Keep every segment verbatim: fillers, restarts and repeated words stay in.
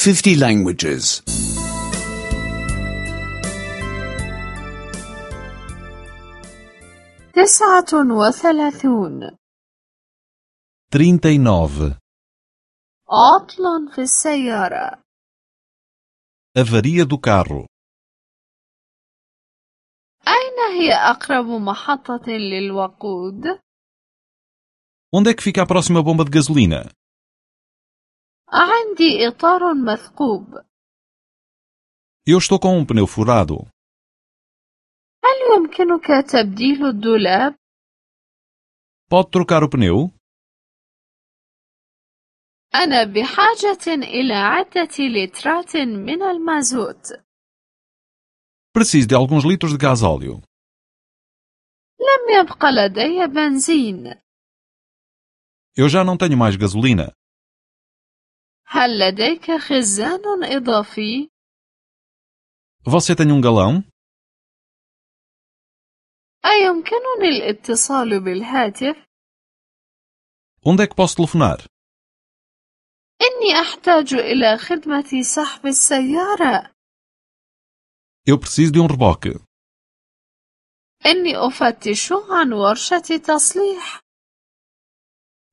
fifty languages. تسعة وثلاثون. trinta e nove. عطل في السيارة. Avaria do carro. أين هي أقرب محطة للوقود؟ Onde é que fica a próxima bomba de gasolina? عندي إطار مثقوب. Eu estou com um pneu furado. هل يمكنك تبديل الدولاب؟ Pode trocar o pneu? أنا بحاجة إلى عدة لترات من المازوت. Preciso de alguns litros de gasóleo. لم يبق لدي بنزين. Eu já não tenho mais gasolina. هل لديك خزان إضافي؟ Você tem um galão? أيمكنني الاتصال بالهاتف؟ Onde é que posso telefonar? إني أحتاج إلى خدمة سحب السيارة. Eu preciso de um reboque. إني أفتش عن ورشة تصليح.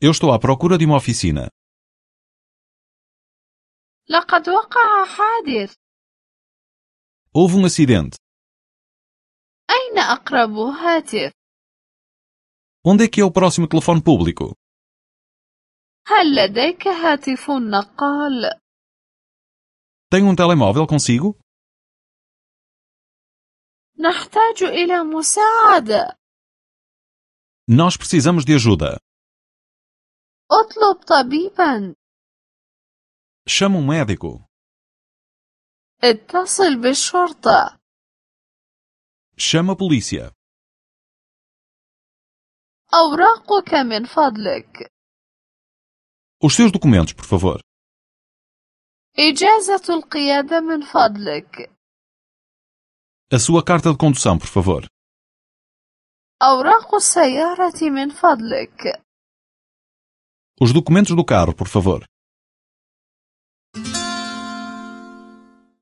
Eu estou à procura de uma oficina. لقد وقع حادث. Houve um acidente. أين أقرب هاتف؟ Onde é que é o próximo telefone público? هل لديك هاتف نقال؟ Tem um telemóvel consigo? نحتاج إلى مساعدة. Nós precisamos de ajuda. اطلب طبيبا. Chama um médico. اتصل بالشرطة. Chama a polícia. أوراقك من فضلك. Os seus documentos, por favor. إجازة القيادة من فضلك. A sua carta de condução, por favor. أوراق السيارة من فضلك. Os documentos do carro, por favor.